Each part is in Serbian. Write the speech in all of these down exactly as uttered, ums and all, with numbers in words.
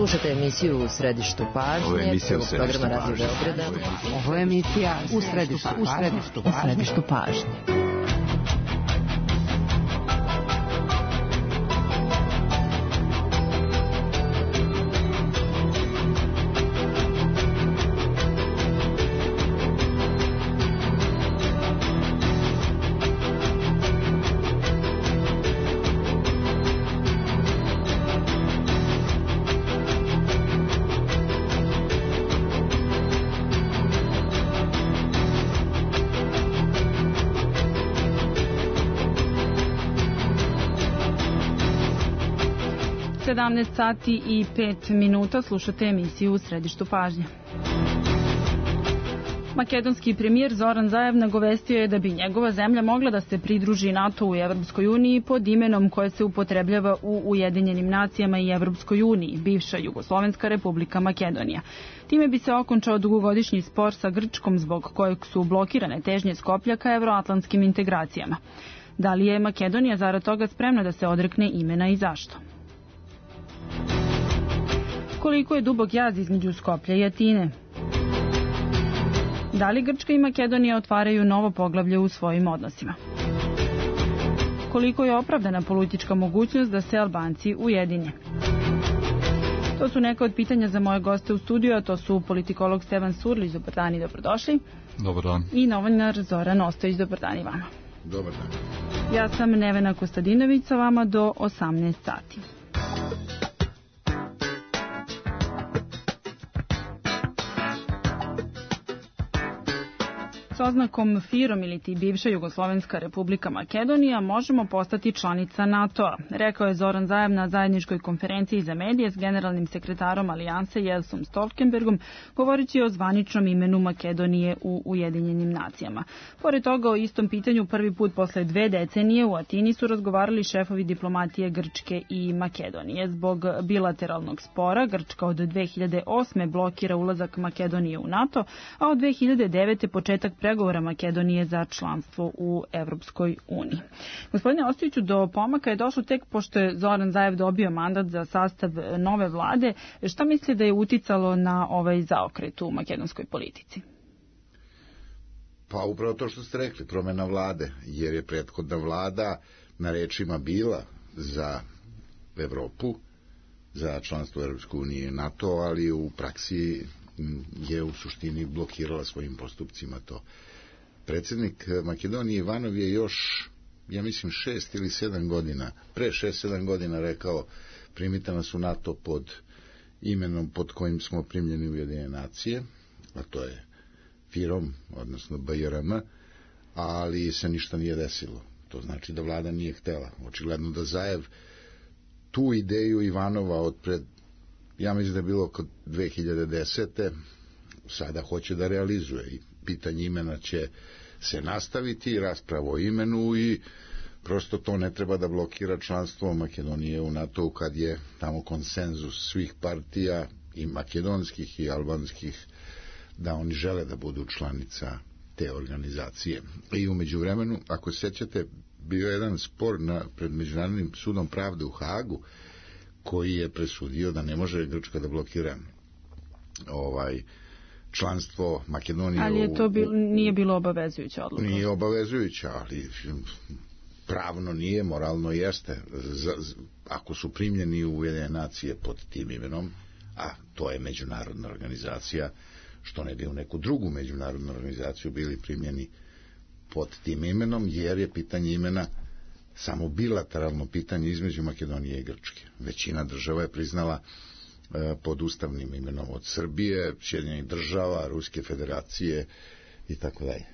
Slušate emisiju U središtu pažnje, prvog programa Radio Beograda. Ovo je emisija U središtu, u središtu, u središtu pažnje. sedamnaest sati i pet minuta, slušate emisiju U središtu pažnje. Makedonski premijer Zoran Zaev nagovestio je da bi njegova zemlja mogla da se pridruži NATO-u i Evropskoj uniji pod imenom koje se upotrebljava u Ujedinjenim nacijama i Evropskoj uniji, bivša Jugoslovenska republika Makedonija. Time bi se okončao dugogodišnji spor sa Grčkom zbog kojeg su blokirane težnje Skoplja ka evroatlantskim integracijama. Da li je Makedonija zarad toga spremna da se odrekne imena i zašto? Koliko je dubok jaz između Skoplja i Atine? Da li Grčka i Makedonija otvaraju novo poglavlje u svojim odnosima? Koliko je opravdana politička mogućnost da se Albanci ujedine? To su neka od pitanja za moje goste u studiju, a to su politikolog Stevan Surlić, dobar dan i dobrodošli. Dobar dan. I novinar Zoran Ostojić, dobar dan i vama. Dobar dan. Ja sam Nevena Kostadinović, sa vama do osamnaest sati. S oznakom FIROM ili ti bivša Jugoslovenska republika Makedonija možemo postati članica NATO-a, rekao je Zoran Zaev na zajedničkoj konferenciji za medije s generalnim sekretarom Alijanse Jensom Stoltenbergom, govoreći o zvaničnom imenu Makedonije u Ujedinjenim nacijama. Pored toga, o istom pitanju prvi put posle dve decenije u Atini su razgovarali šefovi diplomatije Grčke i Makedonije. Zbog bilateralnog spora Grčka od dve hiljade osme blokira ulazak Makedonije u NATO, a od dve hiljade devete početak pregovora Makedonije za članstvo u Evropskoj uniji. Gospodine Ostojiću, do pomaka je došlo tek pošto je Zoran Zaev dobio mandat za sastav nove vlade. Šta misli da je uticalo na ovaj zaokret u makedonskoj politici? Pa upravo to što ste rekli, promena vlade, jer je prethodna vlada na rečima bila za Evropu, za članstvo u Evropskoj uniji i NATO, ali u praksi je u suštini blokirala svojim postupcima to. Predsjednik Makedonije Ivanov je još, ja mislim, šest ili sedam godina, pre šest, sedam godina rekao, primite nas u NATO pod imenom pod kojim smo primljeni u Ujedinjene nacije, a to je FIROM, odnosno B J R M, ali se ništa nije desilo. To znači da vlada nije htela. Očigledno da Zaev tu ideju Ivanova od pred, ja mislim da je bilo kod dve hiljade desete, sada hoće da realizuje i pitanje imena će se nastaviti, rasprava o imenu i prosto to ne treba da blokira članstvo Makedonije u NATO kad je tamo konsenzus svih partija i makedonskih i albanskih da oni žele da budu članica te organizacije. I u međuvremenu, ako se sjećate, bio je jedan spor na, pred Međunarodnim sudom pravde u Hagu koji je presudio da ne može Grčka da blokira ovaj članstvo Makedonije. Ali je to bil, nije bilo obavezujuća odluka. Nije obavezujuća, ali pravno nije, moralno jeste. Z, z, ako su primljeni u Ujedinjene nacije pod tim imenom, a to je međunarodna organizacija, što ne bi u neku drugu međunarodnu organizaciju bili primljeni pod tim imenom, jer je pitanje imena samo bilateralno pitanje između Makedonije i Grčke. Većina država je priznala e, pod ustavnim imenom od Srbije, Sjedinjenih država, Ruske federacije i tako dalje.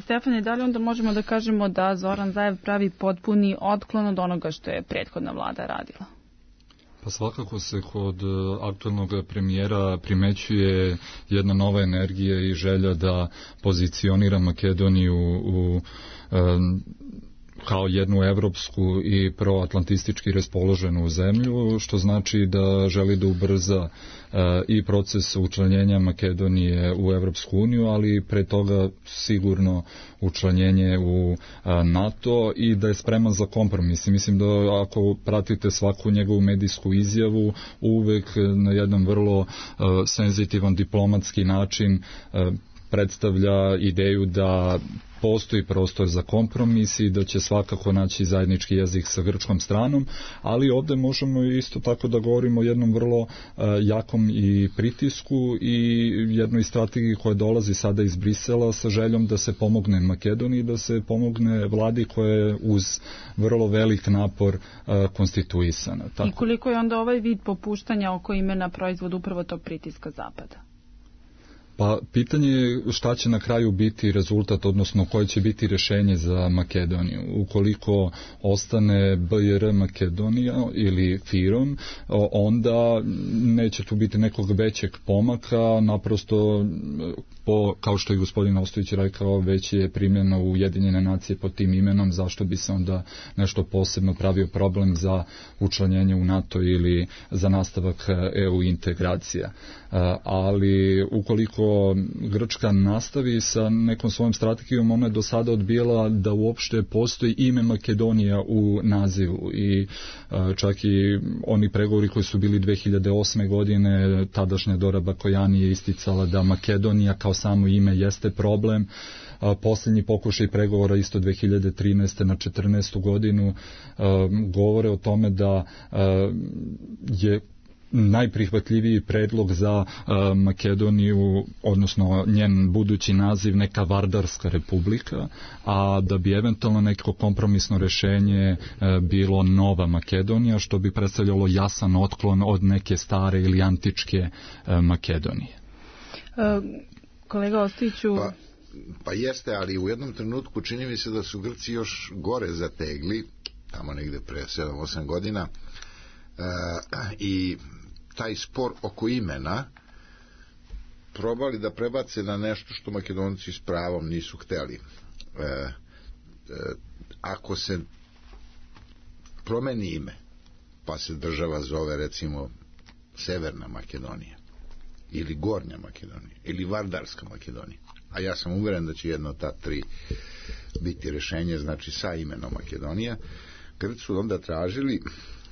Stefane, da li onda možemo da kažemo da Zoran Zaev pravi potpuni otklon od onoga što je prethodna vlada radila? Pa svakako se kod aktualnog premijera primećuje jedna nova energija i želja da pozicionira Makedoniju u um, kao jednu evropsku i proatlantistički raspoloženu zemlju, što znači da želi da ubrza i proces učlanjenja Makedonije u Evropsku uniju, ali pre toga sigurno učlanjenje u NATO i da je spreman za kompromis. Mislim da ako pratite svaku njegovu medijsku izjavu, uvek na jedan vrlo senzitivan diplomatski način predstavlja ideju da postoji prostor za kompromis i da će svakako naći zajednički jezik sa grčkom stranom, ali ovde možemo isto tako da govorimo o jednom vrlo uh, jakom i pritisku i jednoj strategiji koja dolazi sada iz Brisela sa željom da se pomogne Makedoniji, da se pomogne vladi koja je uz vrlo velik napor uh, konstituisana. Tako. I koliko je onda ovaj vid popuštanja oko imena proizvod upravo tog pritiska Zapada? Pa pitanje je šta će na kraju biti rezultat, odnosno koje će biti rešenje za Makedoniju. Ukoliko ostane B I R Makedonija ili FIROM, onda neće tu biti nekog većeg pomaka, naprosto po, kao što je gospodin Ostojić rekao, već je primljeno u Ujedinjene nacije pod tim imenom, zašto bi se onda nešto posebno pravio problem za učlanjenje u NATO ili za nastavak E U integracija. Ali ukoliko Grčka nastavi sa nekom svojom strategijom, ona je do sada odbijala da uopšte postoji ime Makedonija u nazivu i čak i oni pregovori koji su bili dve hiljade osme godine, tadašnja Dora Bakojani je isticala da Makedonija kao samo ime jeste problem. Posljednji pokušaj pregovora isto dve hiljade trinaeste na četrnaestu godinu govore o tome da je najprihvatljiviji predlog za uh, Makedoniju, odnosno njen budući naziv neka Vardarska republika, a da bi eventualno neko kompromisno rešenje uh, bilo Nova Makedonija, što bi predstavljalo jasan otklon od neke stare ili antičke uh, Makedonije. Uh, kolega Ostojiću... Pa, pa jeste, ali u jednom trenutku čini mi se da su Grci još gore zategli, tamo negde pre sedam osam godina, uh, i taj spor oko imena probali da prebace na nešto što Makedonci s pravom nisu hteli. E, e, ako se promeni ime, pa se država zove recimo Severna Makedonija ili Gornja Makedonija ili Vardarska Makedonija, a ja sam uveren da će jedno od ta tri biti rešenje, znači sa imenom Makedonija, Grci su onda tražili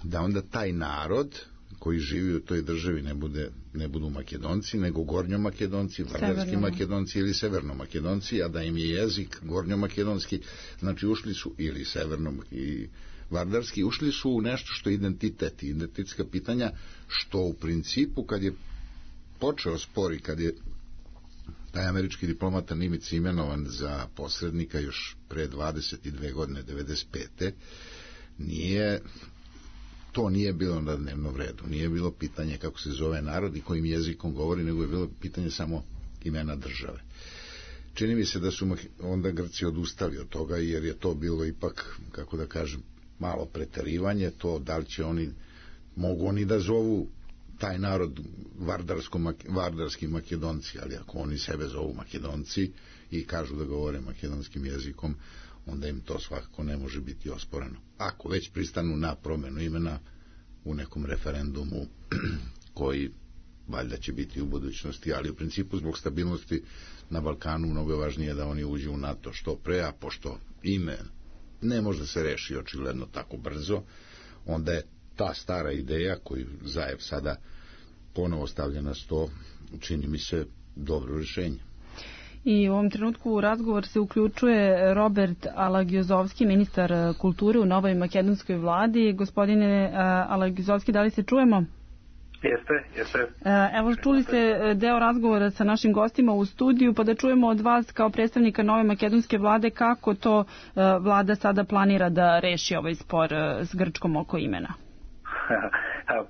da onda taj narod koji živi u toj državi ne, bude, ne budu Makedonci, nego Gornjomakedonci, Vardarski Makedonci ili Severnomakedonci, a da im je jezik Gornjomakedonski, znači ušli su, ili Severno i Vardarski, ušli su u nešto što je identitet, identitetska pitanja, što u principu kad je počeo spor i kad je taj američki diplomata Nimitz imenovan za posrednika još pre dvadeset dve godine, devedeset pete nije... To nije bilo na dnevnom redu, nije bilo pitanje kako se zove narod i kojim jezikom govori, nego je bilo pitanje samo imena države. Čini mi se da su onda Grci odustali od toga, jer je to bilo ipak, kako da kažem, malo preterivanje, to da li će oni, mogu oni da zovu taj narod vardarski Makedonci, ali ako oni sebe zovu Makedonci i kažu da govore makedonskim jezikom, onda im to svakako ne može biti osporeno. Ako već pristanu na promenu imena u nekom referendumu koji valjda će biti u budućnosti, ali u principu zbog stabilnosti na Balkanu mnogo je važnije da oni uđu u NATO što pre, a pošto ime ne može se reši očigledno tako brzo, onda je ta stara ideja koju Zajev sada ponovo stavlja na sto, čini mi se dobro rješenje. I u ovom trenutku u razgovor se uključuje Robert Alagiozovski, ministar kulture u novoj makedonskoj vladi. Gospodine Alagiozovski, da li se čujemo? Jeste, jeste. Evo, čuli ste deo razgovora sa našim gostima u studiju, pa da čujemo od vas kao predstavnika nove makedonske vlade kako to vlada sada planira da reši ovaj spor s Grčkom oko imena.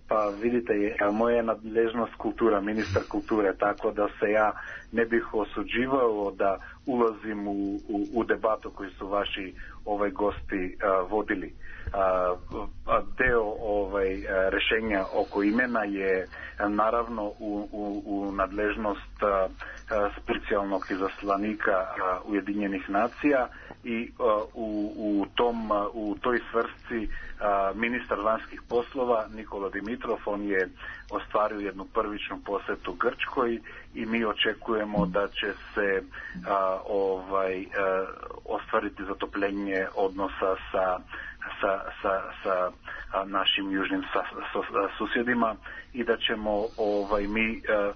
Pa vidite, moja je nadležnost kultura, ministar kulture, tako da se ja ne bih osuđivao da ulazim u, u, u debatu koju su vaši ovaj gosti a, vodili. A, a deo ovaj rešenja oko imena je naravno u, u, u nadležnost a, a, specijalnog izaslanika a, Ujedinjenih nacija i u, u, tom, u toj svrsi ministar vanjskih poslova Nikola Dimitrov, on je ostvario jednu prvičnu posetu Grčkoj i mi očekujemo da će se a, ovaj, a, ostvariti zatopljenje odnosa sa, sa, sa, sa a, našim južnim sa, sa, susjedima i da ćemo ovaj, mi a,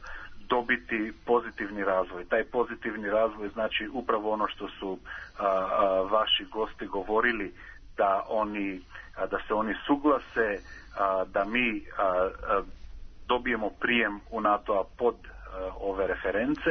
dobiti pozitivni razvoj. Taj pozitivni razvoj znači upravo ono što su a, a, vaši gosti govorili, da oni a, da se oni suglase a, da mi a, a, dobijemo prijem u NATO-a pod a, ove reference,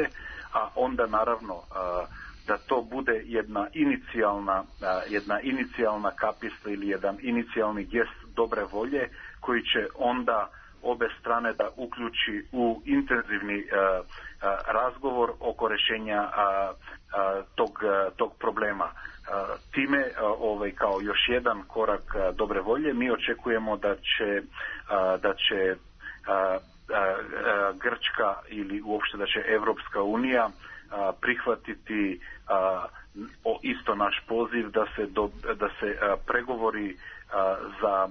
a onda naravno a, da to bude jedna inicijalna a, jedna inicijalna kapista ili jedan inicijalni gest dobre volje koji će onda obe strane da uključi u intenzivni a, a, razgovor oko rješenja a, a, tog, a, tog problema. A, time a, ovaj, kao još jedan korak a, dobre volje mi očekujemo da će, a, da će a, a, a, Grčka ili uopšte da će Evropska unija a, prihvatiti a, o, isto naš poziv da se, do, da se a, pregovori a, za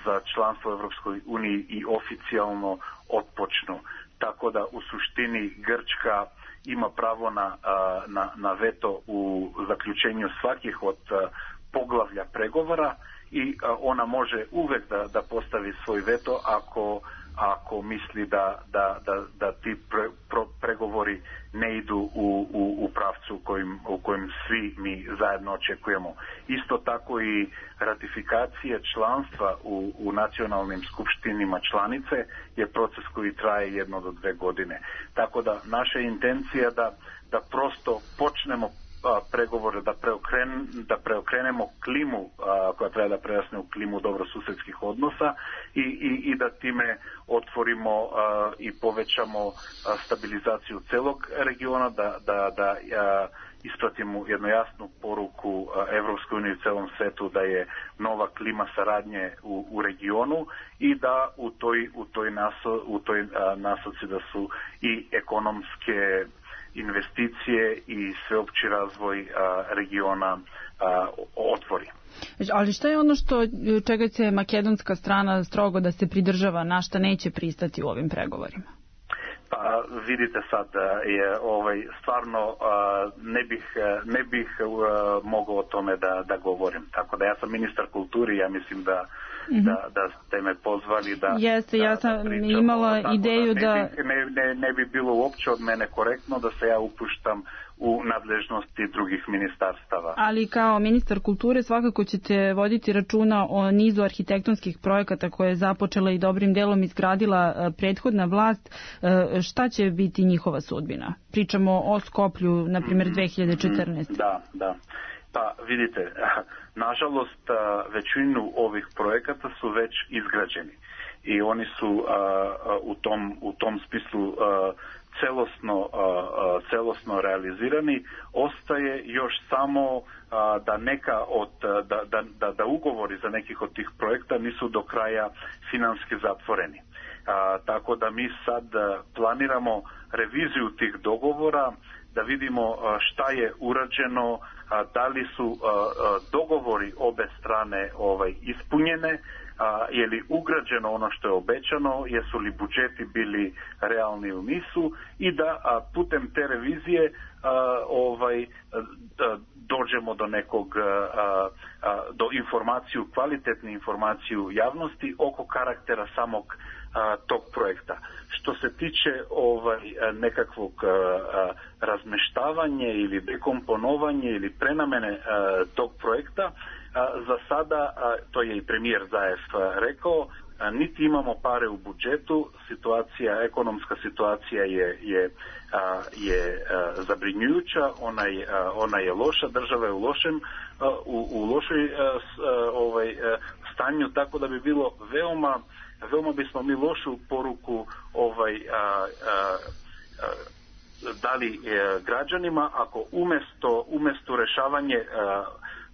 za članstvo u Evropskoj uniji i oficijalno otpočnu. Tako da u suštini Grčka ima pravo na, na, na veto u zaključenju svakih od poglavlja pregovora i ona može uvek da, da postavi svoj veto ako, ako misli da, da, da, da ti pre, pro, pregovori ne idu u, u, u pravcu kojim, u kojem svi mi zajedno očekujemo. Isto tako i ratifikacije članstva u, u nacionalnim skupštinima članice je proces koji traje jedno do dve godine. Tako da naša intencija da, da prosto počnemo a, pregovore, da, preokren, da preokrenemo klimu a, koja treba da prerasne u klimu dobrosusedskih odnosa i, i, i da time otvorimo a, i povećamo a, stabilizaciju celog regiona, da, da, da a, ispratimo jednu jasnu poruku Evropskoj uniji u celom svetu da je nova klima saradnje u, u regionu i da u toj, u toj, naso, u toj a, nasoci da su i ekonomske investicije i sveopći razvoj a, regiona a, otvori. Ali šta je ono što čega će makedonska strana strogo da se pridržava, na šta neće pristati u ovim pregovorima? Pa vidite sad, je ovaj stvarno ne bih ne bih mogao o tome da da govorim. Tako da ja sam ministar kulture, ja mislim da mm-hmm. da da ste me pozvali da Jeste, da, ja sam da imala ideju da ne, da ne, ne, ne bi bilo uopće od mene korektno da se ja upuštam u nadležnosti drugih ministarstava. Ali kao ministar kulture svakako ćete voditi računa o nizu arhitektonskih projekata koje je započela i dobrim delom izgradila prethodna vlast. Šta će biti njihova sudbina? Pričamo o Skoplju, na primjer, dve hiljade četrnaeste. Da, da. Pa vidite, nažalost većinu ovih projekata su već izgrađeni i oni su u tom, u tom smislu celosno, celosno realizirani. Ostaje još samo da neka od da, da, da, da ugovori za nekih od tih projekta nisu do kraja finanski zatvoreni. A, tako da mi sad planiramo reviziju tih dogovora, da vidimo šta je urađeno, da li su dogovori obe strane ovaj ispunjene, a, je li ugrađeno ono što je obećano, jesu li budžeti bili realni u nisu i da a, putem te revizije a, ovaj da, dođemo do nekog a, a, do informaciju, kvalitetne informaciju javnosti oko karaktera samog a, tog projekta. Što se tiče ovaj nekakvog a, razmeštavanja ili dekomponovanja ili prenamene a, tog projekta, a, za sada, a, to je i premijer Zaev rekao, a, niti imamo pare u budžetu, situacija, ekonomska situacija je, je, a, je a, zabrinjujuća, ona je, a, ona je loša, država je u lošem, a, u, u lošoj a, s, a, ovaj, a, stanju, tako da bi bilo veoma veoma bismo mi lošu poruku ovaj a, a, a, dali e, građanima ako umesto umesto rešavanje a,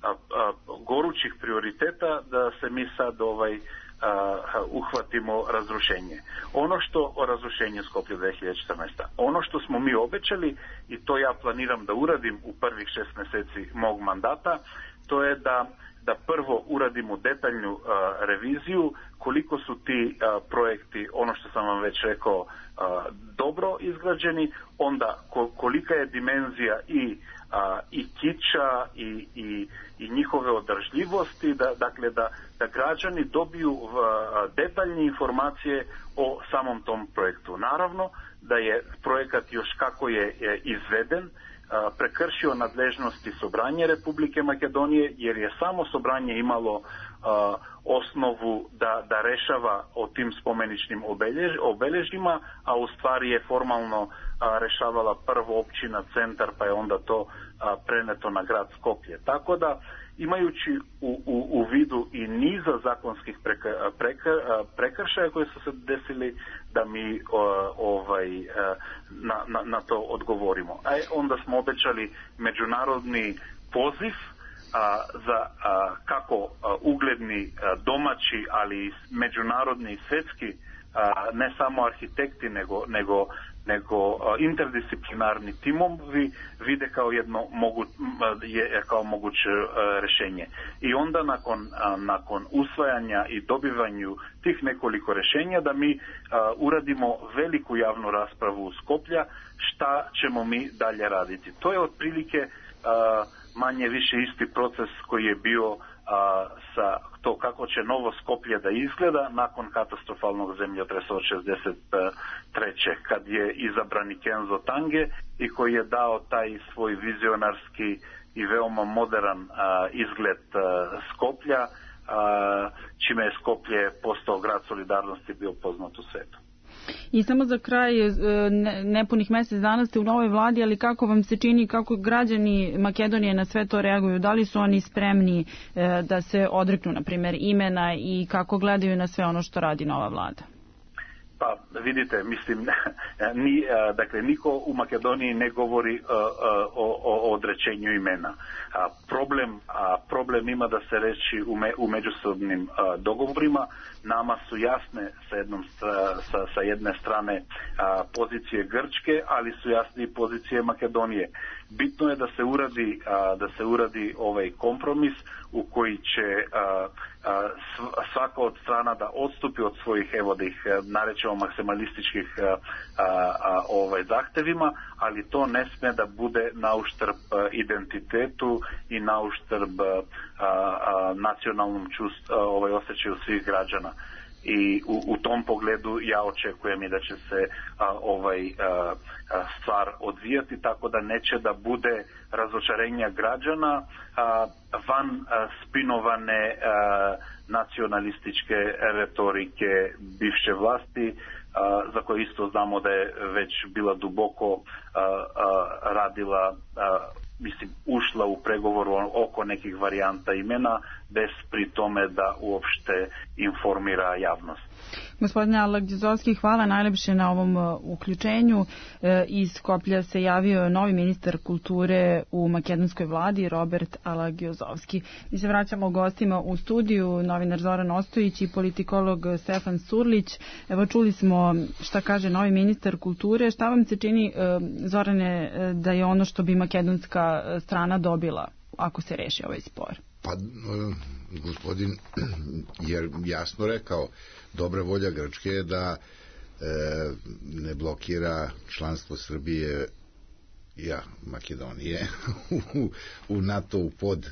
a, a, gorućih prioriteta da se mi sad ovaj uh, uhvatimo razrušenje. Ono što o razrušenju Skoplja dve hiljade četrnaeste. Ono što smo mi obećali, i to ja planiram da uradim u prvih šest meseci mog mandata, to je da da prvo uradimo detaljnu uh, reviziju koliko su ti uh, projekti, ono što sam vam već rekao, uh, dobro izgrađeni, onda ko, kolika je dimenzija i, uh, i kiča i, i, i njihove održljivosti, da, dakle da, da građani dobiju uh, detaljne informacije o samom tom projektu. Naravno da je projekat još kako je, je izveden, prekršio nadležnosti Sobranje Republike Makedonije, jer je samo Sobranje imalo uh, osnovu da, da rešava o tim spomeničnim obelež, obeležjima, a u stvari je formalno uh, rešavala prvo općina Centar, pa je onda to uh, preneto na grad Skoplje. Tako da, imajući u, u, u vidu i niza zakonskih preka, preka, prekršaja koji su se desili, da mi uh, ovaj, uh, na, na, na to odgovorimo. A onda smo obećali međunarodni poziv a, za a, kako a, ugledni a, domaći, ali i međunarodni i svetski, a, ne samo arhitekti, nego, nego, nego a, interdisciplinarni timovi vide kao jedno mogu, je, kao moguće a, rešenje. I onda nakon, a, nakon usvajanja i dobivanju tih nekoliko rešenja, da mi a, uradimo veliku javnu raspravu u Skoplja, šta ćemo mi dalje raditi. To je otprilike a, manje više isti proces koji je bio a, sa to kako će novo Skoplje da izgleda nakon katastrofalnog zemljotresa od šezdeset treće kad je izabran Kenzo Tange i koji je dao taj svoj vizionarski i veoma modern a, izgled a, Skoplja, a, čime je Skoplje postao grad solidarnosti, bio poznat u svetu. I samo za kraj, nepunih mesec dana ste u novoj vladi, ali kako vam se čini, kako građani Makedonije na sve to reaguju? Da li su oni spremni da se odreknu, na primjer, imena i kako gledaju na sve ono što radi nova vlada? Pa vidite, mislim, ni, dakle, niko u Makedoniji ne govori o, o odrećenju imena. A problem, a problem ima da se reći u, me, u međusobnim a, dogovorima. Nama su jasne sa, jednom, sa, sa jedne strane a, pozicije Grčke, ali su jasne i pozicije Makedonije. Bitno je da se uradi, a, da se uradi ovaj kompromis u koji će a, a, svaka od strana da odstupi od svojih, evo da ih narećemo, maksimalističkih a, a, a, ovaj zahtevima, ali to ne sme da bude na uštrb identitetu i na uštrb a, a, nacionalnom čust, a, ovaj osjećaju svih građana. I u, u tom pogledu ja očekujem i da će se a, ovaj a, a, stvar odvijati tako da neće da bude razočarenja građana a, van a, spinovane a, nacionalističke retorike bivše vlasti, a, za koje isto znamo da je već bila duboko a, a, radila, a, mislim, ušla u pregovoru oko nekih varijanta imena, bez pri tome da uopšte informira javnost. Gospodine Alagizovski, hvala najlepše na ovom uh, uključenju. E, iz Skoplja se javio novi ministar kulture u makedonskoj vladi, Robert Alagizovski. Mi se vraćamo gostima u studiju, novinar Zoran Ostojić i politikolog Stefan Surlić. Evo, čuli smo šta kaže novi ministar kulture. Šta vam se čini, uh, Zorane, da je ono što bi makedonska strana dobila ako se reši ovaj spor? Pa, gospodin je jasno rekao, dobra volja Grčke je da e, ne blokira članstvo Srbije, ja, Makedonije u, u NATO-u pod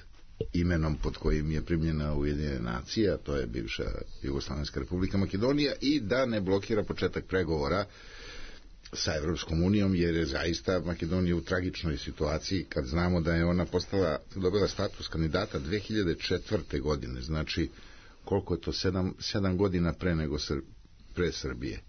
imenom pod kojim je primljena Ujedinjene nacije, a to je bivša Jugoslovenska republika Makedonija, i da ne blokira početak pregovora sa Evropskom unijom, jer je zaista Makedonija u tragičnoj situaciji kad znamo da je ona postala, dobila status kandidata dve hiljade četvrte godine, znači koliko je to, sedam, sedam godina pre nego Sr, pre Srbije,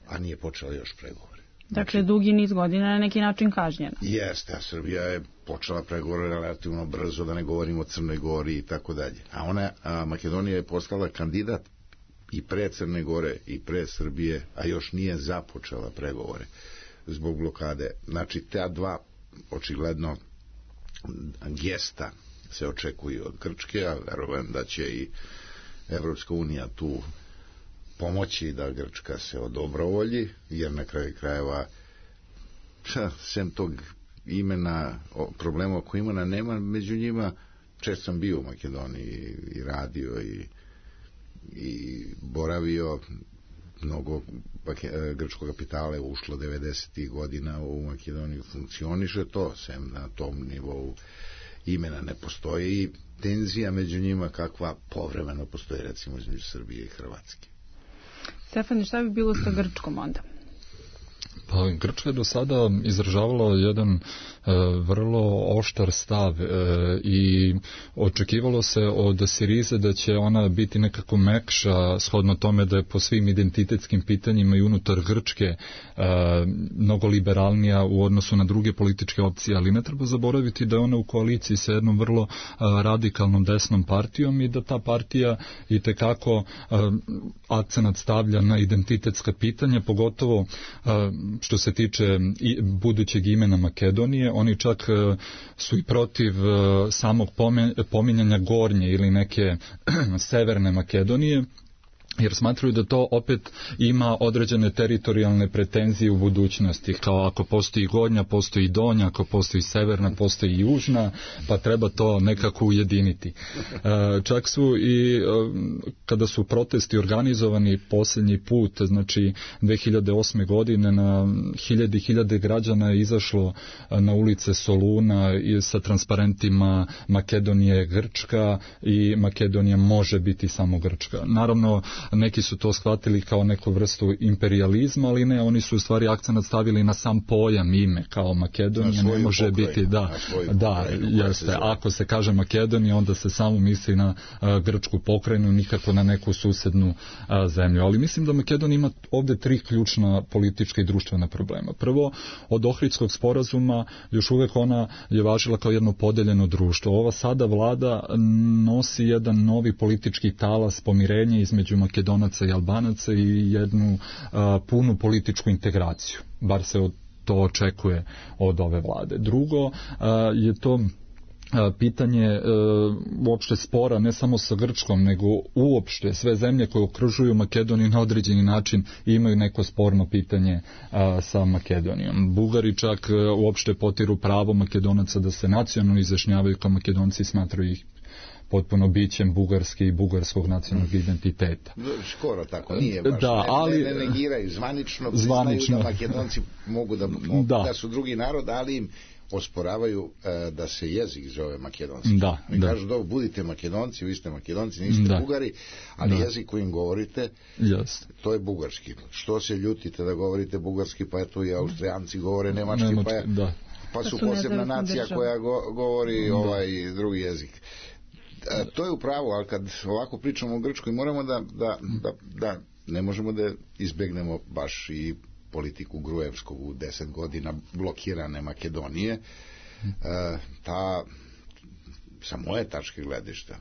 a nije počela još pregovore. Dakle, znači, dugi niz godina na neki način kažnjena. Jeste, a Srbija je počela pregovore relativno brzo, da ne govorimo o Crnoj Gori i tako dalje. A ona, a Makedonija je postala kandidat i pre Crne Gore i pre Srbije, a još nije započela pregovore zbog blokade. Znači, ta dva očigledno gesta se očekuju od Grčke, a verujem da će i Evropska unija tu pomoći da Grčka se odobrovolji, jer na kraju krajeva sem tog imena, problema oko imena nema među njima. Često sam bio u Makedoniji i radio i, i boravio. Mnogo grčkog kapitala je ušlo devedesetih godina u Makedoniju, funkcioniše to, sem na tom nivou imena ne postoji i tenzija među njima kakva povremeno postoji recimo između Srbije i Hrvatske. Stefane, šta bi bilo sa Grčkom onda? Pa Grčka je do sada izražavala jedan e, vrlo oštar stav e, i očekivalo se od Sirize da će ona biti nekako mekša shodno tome da je po svim identitetskim pitanjima i unutar Grčke e, mnogo liberalnija u odnosu na druge političke opcije, ali ne treba zaboraviti da je ona u koaliciji sa jednom vrlo a, radikalnom desnom partijom i da ta partija i tekako a, akcenat stavlja na identitetska pitanja, pogotovo a, što se tiče i budućeg imena Makedonije. Oni čak su i protiv samog pominjanja Gornje ili neke severne Makedonije, jer smatruju da to opet ima određene teritorijalne pretenzije u budućnosti, kao ako postoji Gornja, postoji i Donja, ako postoji Severna, postoji i Južna, pa treba to nekako ujediniti. Čak su i kada su protesti organizovani posljednji put, znači dve hiljade osme godine, na hiljade i hiljade građana je izašlo na ulice Soluna i sa transparentima Makedonija je Grčka i Makedonija može biti samo Grčka. Naravno, neki su to shvatili kao neku vrstu imperializma, ali ne, oni su u stvari akcenat stavili na sam pojam ime, kao Makedonija ne može pokrajinu, biti, da, da, jeste, ako se kaže Makedonija, onda se samo misli na a, grčku pokrajinu, nikako na neku susednu a, zemlju. Ali mislim da Makedonija ima ovde tri ključna politička i društvena problema. Prvo, od Ohridskog sporazuma još uvek ona je važila kao jedno podeljeno društvo. Ova sada vlada nosi jedan novi politički talas pomirenja između Makedonaca i Albanaca i jednu a, punu političku integraciju. Bar se od, to očekuje od ove vlade. Drugo a, je to a, pitanje a, uopšte spora ne samo sa Grčkom, nego uopšte sve zemlje koje okružuju Makedoniju na određeni način imaju neko sporno pitanje a, sa Makedonijom. Bugari čak a, uopšte potiru pravo Makedonaca da se nacionalno izjašnjavaju kao Makedonci, smatraju ih potpuno bićem bugarski i bugarskog nacionalnog identiteta. Skoro tako, nije baš. Da, ne, ali, ne, ne negiraju, zvanično priznaju da Makedonci mogu da, mogu, da. da su drugi narod, ali im osporavaju uh, da se jezik zove makedonski. Da, Mi da. kažu da budite Makedonci, vi ste Makedonci, niste da. Bugari, ali da. Jezik kojim govorite, yes. to je bugarski. Što se ljutite da govorite bugarski, pa eto i Austrijanci govore nemački, nemački pa, je, da. pa su posebna nacija država koja go, govori da. ovaj drugi jezik. A, to je upravo, ali kad ovako pričamo o Grčkoj, moramo da, da, da, da ne možemo da izbegnemo baš i politiku Gruevskog u deset godina blokirane Makedonije. E, ta, sa moje tačke gledišta,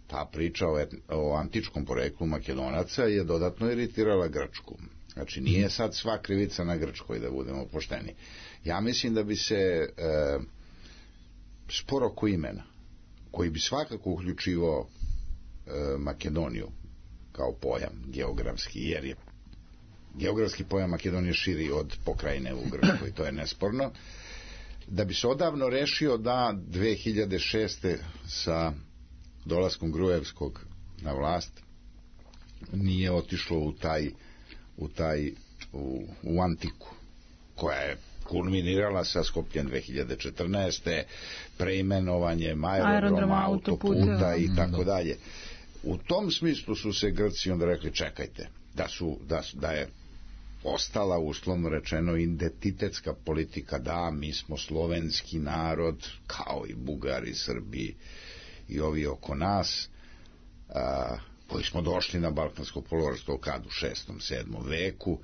ta priča o, et, o antičkom poreklu Makedonaca je dodatno iritirala Grčku. Znači, nije sad sva krivica na Grčkoj, da budemo pošteni. Ja mislim da bi se e, spor oko imena, koji bi svakako uključivao e, Makedoniju kao pojam geografski, jer je geografski pojam Makedonije širi od pokrajine u Grčkoj, to je nesporno, da bi se odavno rešio da dve hiljade šeste sa dolaskom Gruevskog na vlast nije otišlo u taj u taj u, u antiku koja je kulminirala sa Skopljem dve hiljade četrnaeste preimenovanjem aerodroma, autoputa i tako dalje. U tom smislu su se Grci onda rekli čekajte, da su da, da je ostala uslovno rečeno identitetska politika, da mi smo slovenski narod kao i Bugari, Srbi i ovi oko nas, a, koji smo došli na Balkansko poluostrvo kad u šestom, sedmom veku,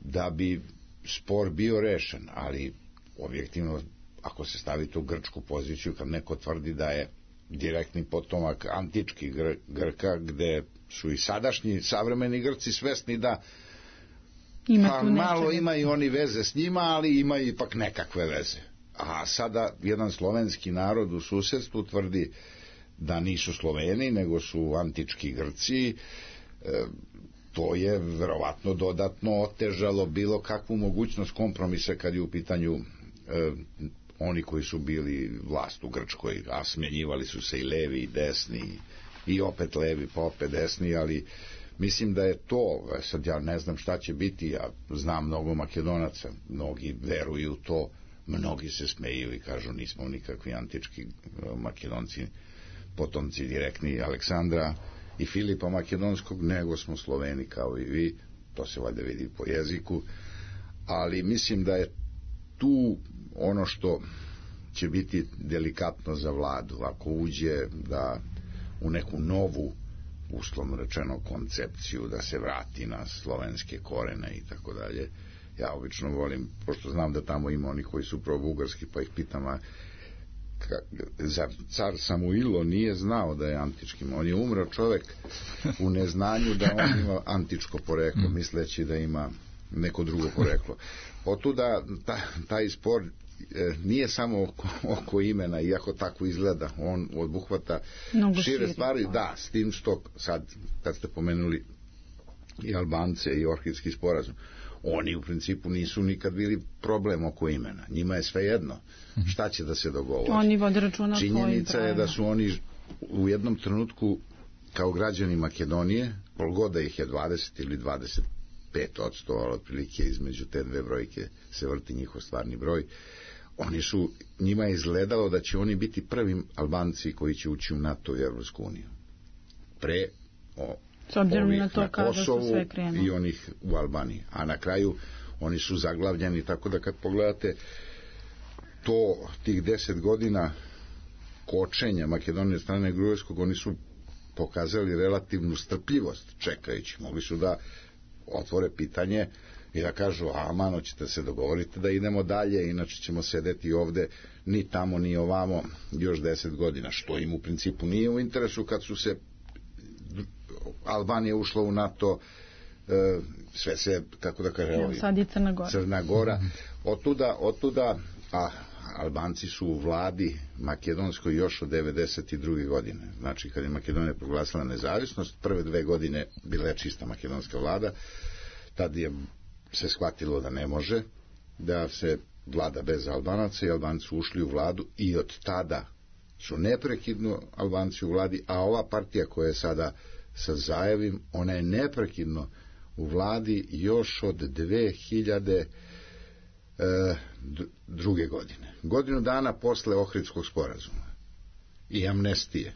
da bi spor bio rešen, ali objektivno ako se stavite u grčku poziciju, kad neko tvrdi da je direktni potomak antičkih Gr Grka, gde su i sadašnji savremeni Grci svesni da pa malo imaju oni veze s njima, ali imaju ipak nekakve veze. A sada jedan slovenski narod u susedstvu tvrdi da nisu Sloveni, nego su antički Grci, to je verovatno dodatno otežalo bilo kakvu mogućnost kompromisa kad je u pitanju oni koji su bili vlast u Grčkoj, a smjenjivali su se i levi i desni i opet levi pa opet desni, ali mislim da je to, sad ja ne znam šta će biti, ja znam mnogo Makedonaca, mnogi veruju to, mnogi se smeju i kažu nismo nikakvi antički Makedonci, potomci direktni Aleksandra i Filipa Makedonskog, nego smo Sloveni kao i vi, to se valjda vidi po jeziku, ali mislim da je tu ono što će biti delikatno za vladu, ako uđe da u neku novu, uslovno rečeno, koncepciju, da se vrati na slovenske korene i tako dalje. Ja obično volim, pošto znam da tamo ima oni koji su pro-bugarski, pa ih pitam, a zar car Samuilo nije znao da je antički? On je umro čovek u neznanju da on ima antičko poreklo, misleći da ima neko drugo poreklo. Otuda ta, taj spor e, nije samo oko, oko imena, iako tako izgleda, on obuhvata šire, šire stvari, da, s tim što sad, kad ste pomenuli i Albance i Ohridski sporazum, oni u principu nisu nikad bili problem oko imena. Njima je sve jedno šta će da se dogovori. Oni vode računa. Činjenica je da su oni u jednom trenutku kao građani Makedonije, polgoda ih je dvadeset ili dvadeset pet odsto, ali otprilike između te dve brojke se vrti njihov stvarni broj, oni su, njima je izgledalo da će oni biti prvi Albanci koji će ući u NATO i Evropsku uniju. Pre o, ovih na, to na Kosovu i onih u Albaniji. A na kraju oni su zaglavljeni, tako da kad pogledate to, tih deset godina kočenja Makedonije strane Grujevskog, oni su pokazali relativnu strpljivost čekajući. Mogli su da otvore pitanje i da kažu, a mano ćete se dogovoriti da idemo dalje, inače ćemo sedeti ovde ni tamo ni ovamo još deset godina, što im u principu nije u interesu kad su se Albanija ušla u NATO, sve se, kako da kažem, sad je Crna Gora, Crna Gora. Otuda, otuda, a Albanci su u vladi makedonskoj još od devedeset druge godine. Znači, kad je Makedonija proglasila nezavisnost, prve dve godine bila je čista makedonska vlada, tad je se shvatilo da ne može da se vlada bez Albanaca i Albanci su ušli u vladu i od tada su neprekidno Albanci u vladi, a ova partija koja je sada sa Zajevim, ona je neprekidno u vladi još od dve hiljade druge godine. Godinu dana posle Ohridskog sporazuma i amnestije.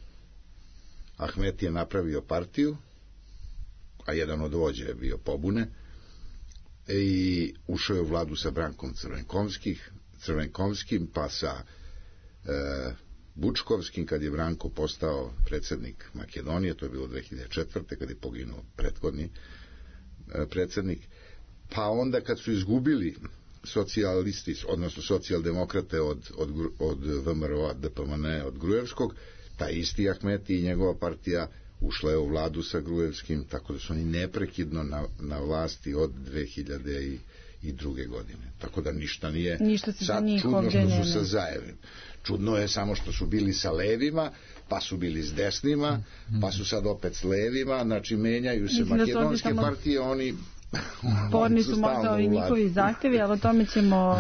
Ahmet je napravio partiju, a jedan od vođa je bio pobune, i ušao je u vladu sa Brankom Crvenkovskim, pa sa e, Bučkovskim, kad je Branko postao predsjednik Makedonije, to je bilo dve hiljade četvrte kad je poginuo prethodni e, predsjednik, pa onda kad su izgubili socijalisti, odnosno socijaldemokrate od, od, od V M R O-a, D P M N, od Grujevskog, taj isti Ahmeti i njegova partija ušla je u vladu sa Grujevskim, tako da su oni neprekidno na, na vlasti od dve hiljade druge godine. Tako da ništa nije ništa sad čudno što su sa Zajevim. Čudno je samo što su bili sa levima, pa su bili s desnima, pa su sad opet s levima, znači menjaju se Mislim makedonske da partije, oni sporni su možda ovi njihovi zahtevi, ali o tome ćemo uh,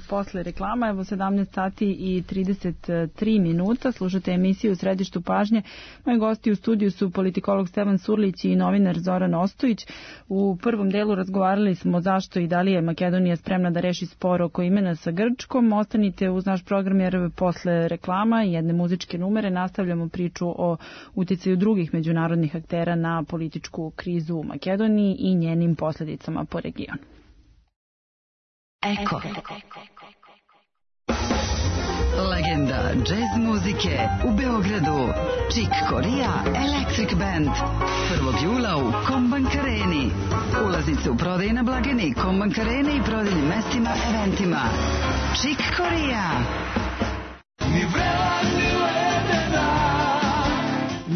posle reklama. Evo sedamnaest sati i trideset tri minuta, slušate emisiju U središtu pažnje. Moji gosti u studiju su politikolog Stevan Surlić i novinar Zoran Ostojić. U prvom delu razgovarali smo zašto i da li je Makedonija spremna da reši spor oko imena sa Grčkom. Ostanite uz naš program jer posle reklama i jedne muzičke numere nastavljamo priču o uticaju drugih međunarodnih aktera na političku krizu u Makedoniji i njenim posledicama po regionu. Eko. Legenda džez muzike u Beogradu. Chick Corea Electric Band. prvog jula u Kombank Areni. Ulaznice u prodaji na blagajni Kombank Areni i prodajnim mestima, eventima. Chick Corea.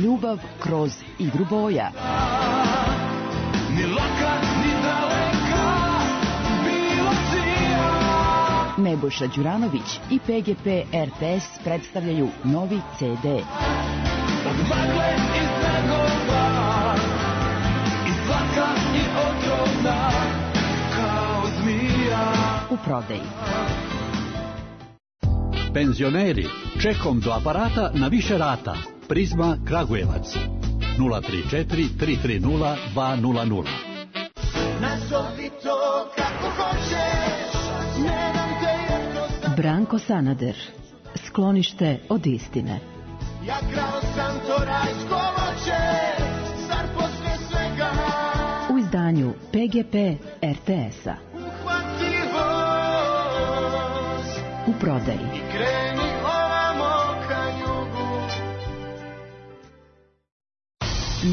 Ljubav kroz igru boja. Ni laka, ni daleka, bilo sija. Nebojša Đuranović i P G P R T S predstavljaju novi C D. bagle i snagova, i svaka je otrovna kao zmija. U prodaji. Penzioneri, čekom do aparata na više rata. Prizma Kragujevac. nula tri četiri tri tri nula dva nula nula. Nazovi to kako hoćeš, ne dam te jednostavno. Branko Sanader. Sklonište od istine. Ja krao sam to rajsko voće, zar posle svega u izdanju P G P R T S-a. Uhvati voz u prodaji i kreni ovamo ka jugu.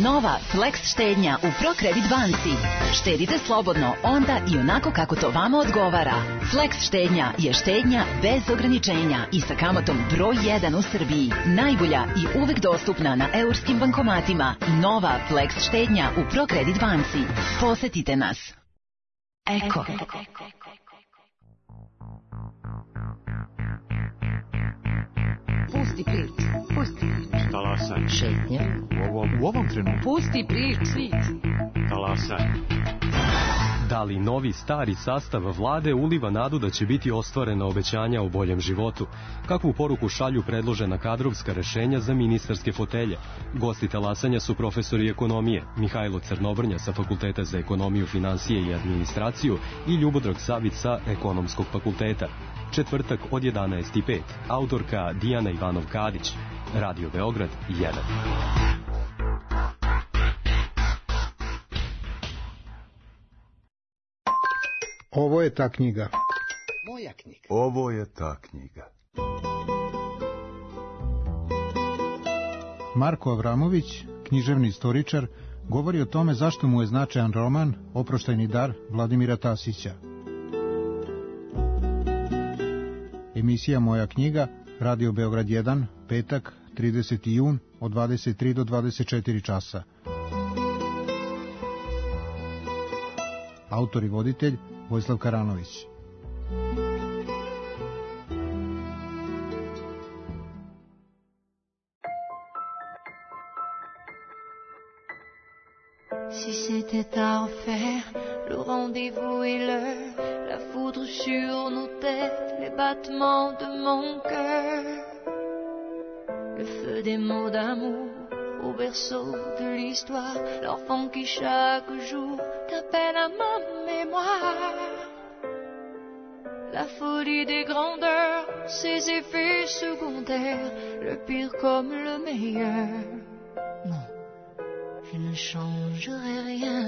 Nova Flex štednja u ProCredit banci. Štedite slobodno onda i onako kako to vama odgovara. Flex štednja je štednja bez ograničenja i sa kamatom broj jedan u Srbiji. Najbolja i uvek dostupna na eurskim bankomatima. Nova Flex štednja u ProCredit banci. Posetite nas. Eko. Pusti prič, pusti prič. Talasaj. Šetnja. U ovom, u ovom trenutku. Pusti prič, svit. Talasaj. Da li novi stari sastav vlade uliva nadu da će biti ostvarena obećanja o boljem životu? Kakvu poruku šalju predložena kadrovska rešenja za ministarske fotelje? Gosti talasanja su profesori ekonomije, Mihajlo Crnobrnja sa Fakulteta za ekonomiju, finansije i administraciju i Ljubodrag Savić sa Ekonomskog fakulteta. Četvrtak od jedanaest i pet. Autorka Dijana Ivanov-Kadić. Radio Beograd jedan. Ovo je ta knjiga. Moja knjiga. Ovo je ta knjiga. Marko Avramović, književni istoričar, govori o tome zašto mu je značajan roman Oproštajni dar Vladimira Tasića. Emisija Moja knjiga, Radio Beograd jedan, petak, trideseti jun, od dvadeset tri do dvadeset četiri časa. Autor i voditelj Vojislav Karanović. Si c'était à refaire, le rendez-vous est l'heure, la foudre sur nos têtes, les battements de mon cœur, le feu des mots d'amour au berceau de l'histoire, l'enfant qui chaque jour t'appelle à ma mémoire, la folie des grandeurs, ses effets secondaires, le pire comme le meilleur. Non, je ne changerai rien.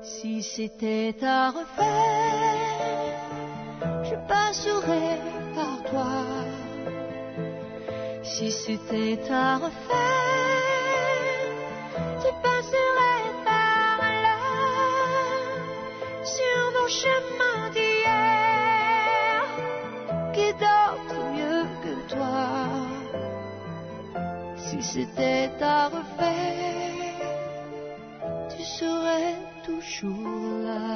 Si c'était à refaire, je passerais par toi. Si c'était à refaire, tu passerais par là. Sur nos chemins d'hier, qui d'autre mieux que toi? Si c'était à refaire, tu serais toujours là.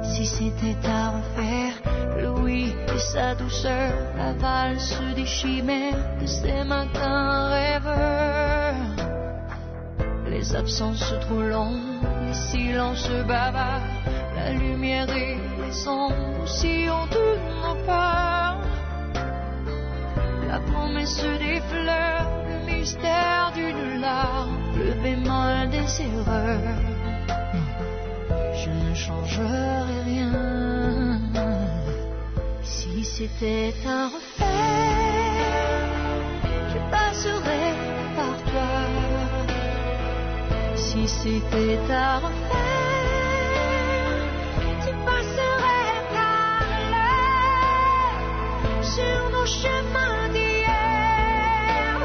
Si c'était à refaire, le oui et sa douceur, la valse des chimères de ces matins rêveurs, les absences trop longues, les silences bavards, la lumière et les ombres si ont toutes nos peurs, la promesse des fleurs, le mystère d'une larme, le bémol des erreurs. Je ne changerai rien. Si c'était à refaire, je passerais par toi. Si c'était à refaire, tu passerais par là. Sur nos chemins d'hier,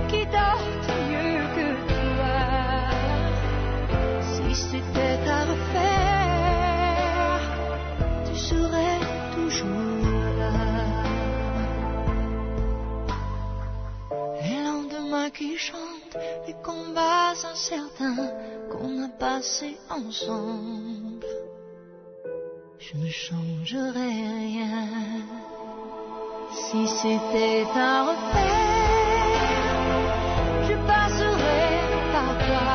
qui d'autre mieux que toi? Si c'était à refaire, tu serais toujours là. Les lendemains qui chantent, les combats incertains qu'on a passés ensemble. Je ne changerai rien. Si c'était à refaire, je passerais par toi.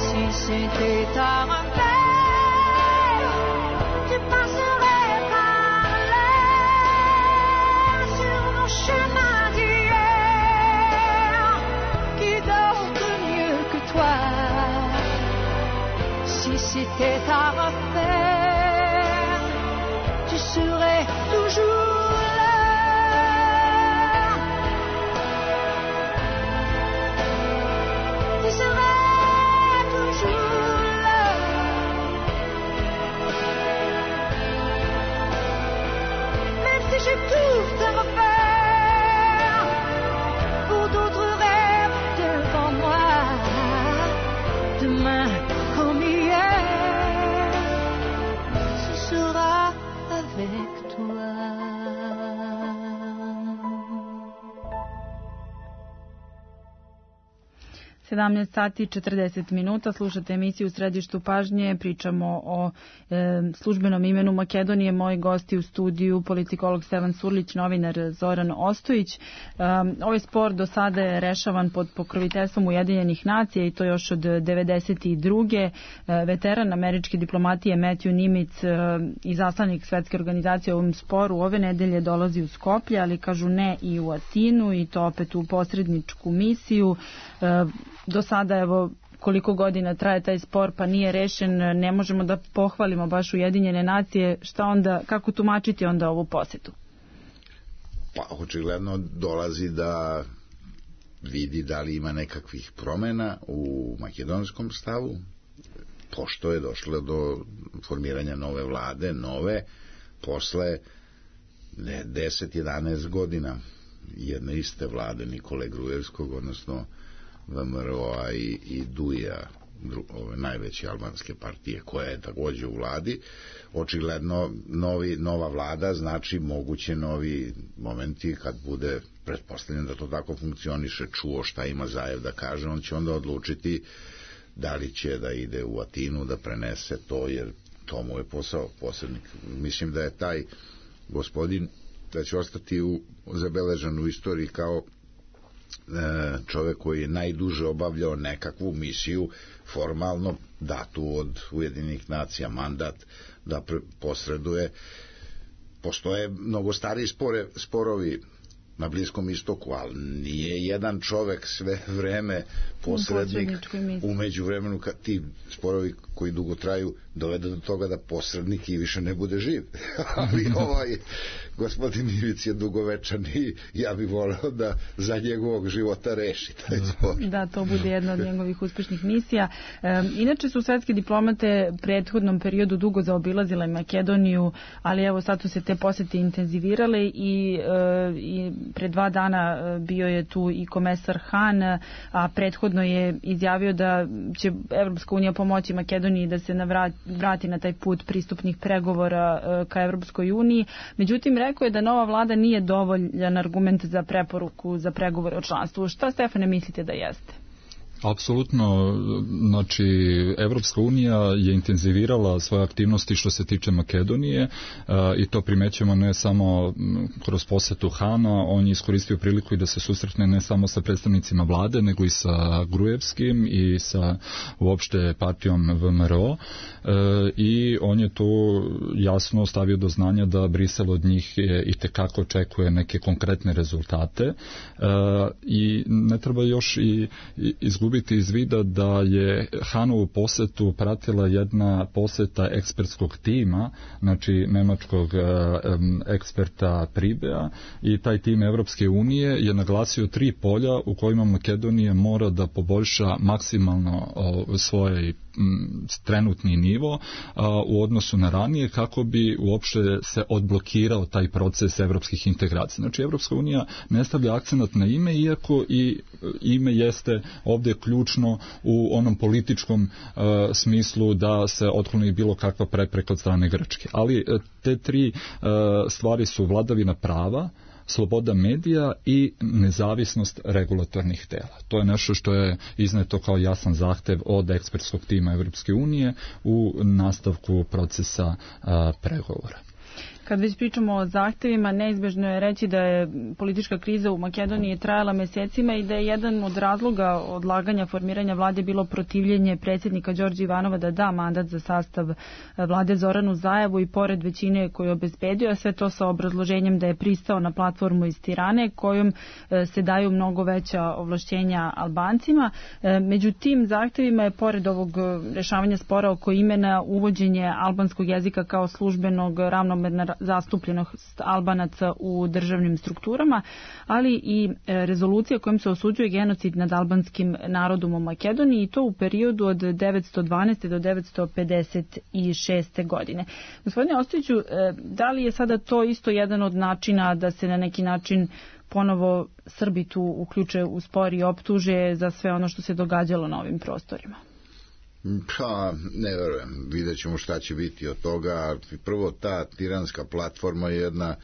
Si c'était à refaire, je passerais par là, sur nos chemins d'hier. Qui d'autre mieux que toi? Si c'était à refaire, tu serais toujours là. Tu serais toujours là. Même si j'ai tout à refaire, pour d'autres rêves devant moi, demain comme hier, ce sera avec toi. sedamnaest sati i četrdeset minuta, slušate emisiju U središtu pažnje, pričamo o e, službenom imenu Makedonije. Moji gosti u studiju, politikolog Stevan Surlić, novinar Zoran Ostojić. E, ovaj spor do sada je rešavan pod pokroviteljstvom Ujedinjenih nacija i to još od devedeset druge. E, veteran američke diplomatije Matthew Nimitz e, i zaslanik Svetske organizacije u ovom sporu ove nedelje dolazi u Skoplje, ali kažu ne i u Atinu, i to opet u posredničku misiju. E, Do sada, evo, koliko godina traje taj spor, pa nije rešen, ne možemo da pohvalimo baš Ujedinjene nacije. Šta onda, kako tumačiti onda ovu posetu? Pa, očigledno dolazi da vidi da li ima nekakvih promena u makedonskom stavu, pošto je došlo do formiranja nove vlade, nove, posle deset jedanaest godina jedne iste vlade Nikole Grujevskog, odnosno V M R O-a i, i Duija, ove najveće albanske partije, koja je takođe u vladi. Očigledno novi, nova vlada znači moguće novi momenti kad bude pretpostavljeno da to tako funkcioniše, čuo šta ima Zajev da kaže, on će onda odlučiti da li će da ide u Atinu da prenese to, jer to mu je posao posrednik. Mislim da je taj gospodin da će ostati u, zabeležen u istoriji kao čovek koji je najduže obavljao nekakvu misiju formalno datu od Ujedinjenih nacija, mandat da posreduje. Postoje mnogo stariji spore, sporovi na Bliskom istoku, ali nije jedan čovek sve vreme posrednik. U međuvremenu kad ti sporovi koji dugo traju dovede do toga da posrednik i više ne bude živ. Ali ovaj gospodin Ivić je dugovečan i ja bih voleo da za njegovog života reši taj spor. Da, to bude jedna od njegovih uspešnih misija. E, inače su svetske diplomate u prethodnom periodu dugo zaobilazile Makedoniju, ali evo sad su se te posete intenzivirale i, e, i pre dva dana bio je tu i komesar Han, a prethodno je izjavio da će Evropska unija pomoći Makedoniji da se navrati, vrati na taj put pristupnih pregovora e, ka Evropskoj uniji. Međutim, rekao je da nova vlada nije dovoljan argument za preporuku za pregovore o članstvu. Šta, Stefane, mislite da jeste? Apsolutno, znači Evropska unija je intenzivirala svoje aktivnosti što se tiče Makedonije i to primećujemo ne samo kroz posetu Hana, on je iskoristio priliku i da se susretne ne samo sa predstavnicima vlade, nego i sa Grujevskim i sa uopšte partijom V M R O i on je to jasno stavio do znanja da Brisel od njih i tekako očekuje neke konkretne rezultate i ne treba još i izgubiti iz vida da je Hanovu posetu pratila jedna poseta ekspertskog tima, znači nemačkog um, eksperta Pribea, i taj tim Evropske unije je naglasio tri polja u kojima Makedonija mora da poboljša maksimalno o, svoj trenutni nivo a, u odnosu na ranije kako bi uopšte se odblokirao taj proces evropskih integracija. Znači Evropska unija ne stavlja akcenat na ime, iako i ime jeste ovdje ključno u onom političkom a, smislu da se otkloni bilo kakva prepreka od strane Grčke. Ali a, te tri a, stvari su vladavina prava, sloboda medija i nezavisnost regulatornih tela. To je nešto što je izneto kao jasan zahtev od ekspertskog tima Evropske unije u nastavku procesa a, pregovora. Kad već pričamo o zahtevima, neizbežno je reći da je politička kriza u Makedoniji trajala mesecima i da je jedan od razloga odlaganja formiranja vlade bilo protivljenje predsjednika Đorđa Ivanova da da mandat za sastav vlade Zoranu Zajevu i pored većine koju je obezbedio, a sve to sa obrazloženjem da je pristao na platformu iz Tirane kojom se daju mnogo veća ovlašćenja Albancima. Među tim zahtevima je pored ovog rešavanja spora oko imena uvođenje albanskog jezika kao službenog ravnomerna zastupljenost Albanaca u državnim strukturama, ali i rezolucija kojom se osuđuje genocid nad albanskim narodom u Makedoniji i to u periodu od devetsto dvanaeste do devetsto pedeset šeste godine. Gospodine Ostojiću, da li je sada to isto jedan od načina da se na neki način ponovo Srbi tu uključe u spor i optuže za sve ono što se događalo na ovim prostorima? Pa, ne verujem. Vidjet ćemo šta će biti od toga. Prvo, ta tiranska platforma je jedna,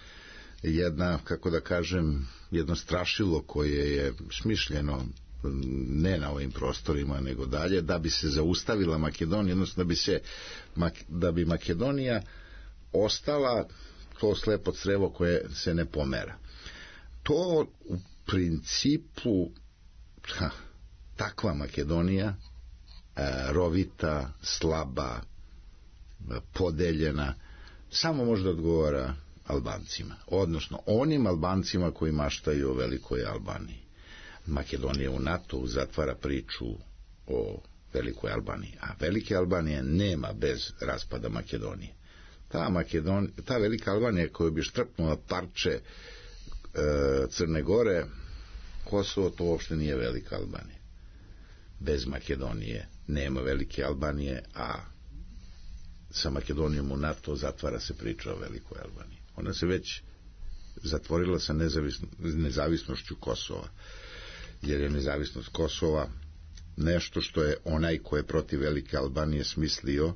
jedna, kako da kažem, jedno strašilo koje je smišljeno ne na ovim prostorima, nego dalje, da bi se zaustavila Makedonija, odnosno da bi se, da bi Makedonija ostala to slepo crevo koje se ne pomera. To u principu, ha, takva Makedonija, rovita, slaba, podeljena, samo možda odgovara Albancima, odnosno onim Albancima koji maštaju o velikoj Albaniji. Makedonija u NATO zatvara priču o velikoj Albaniji, a velike Albanije nema bez raspada Makedonije. Ta, Makedon, ta velika Albanija koja bi štrpnula parče e, Crne Gore, Kosovo, to uopšte nije velika Albanija. Bez Makedonije nema velike Albanije, a sa Makedonijom u NATO zatvara se priča o velikoj Albaniji. Ona se već zatvorila sa nezavisno, nezavisnošću Kosova, jer je nezavisnost Kosova nešto što je onaj ko je protiv velike Albanije smislio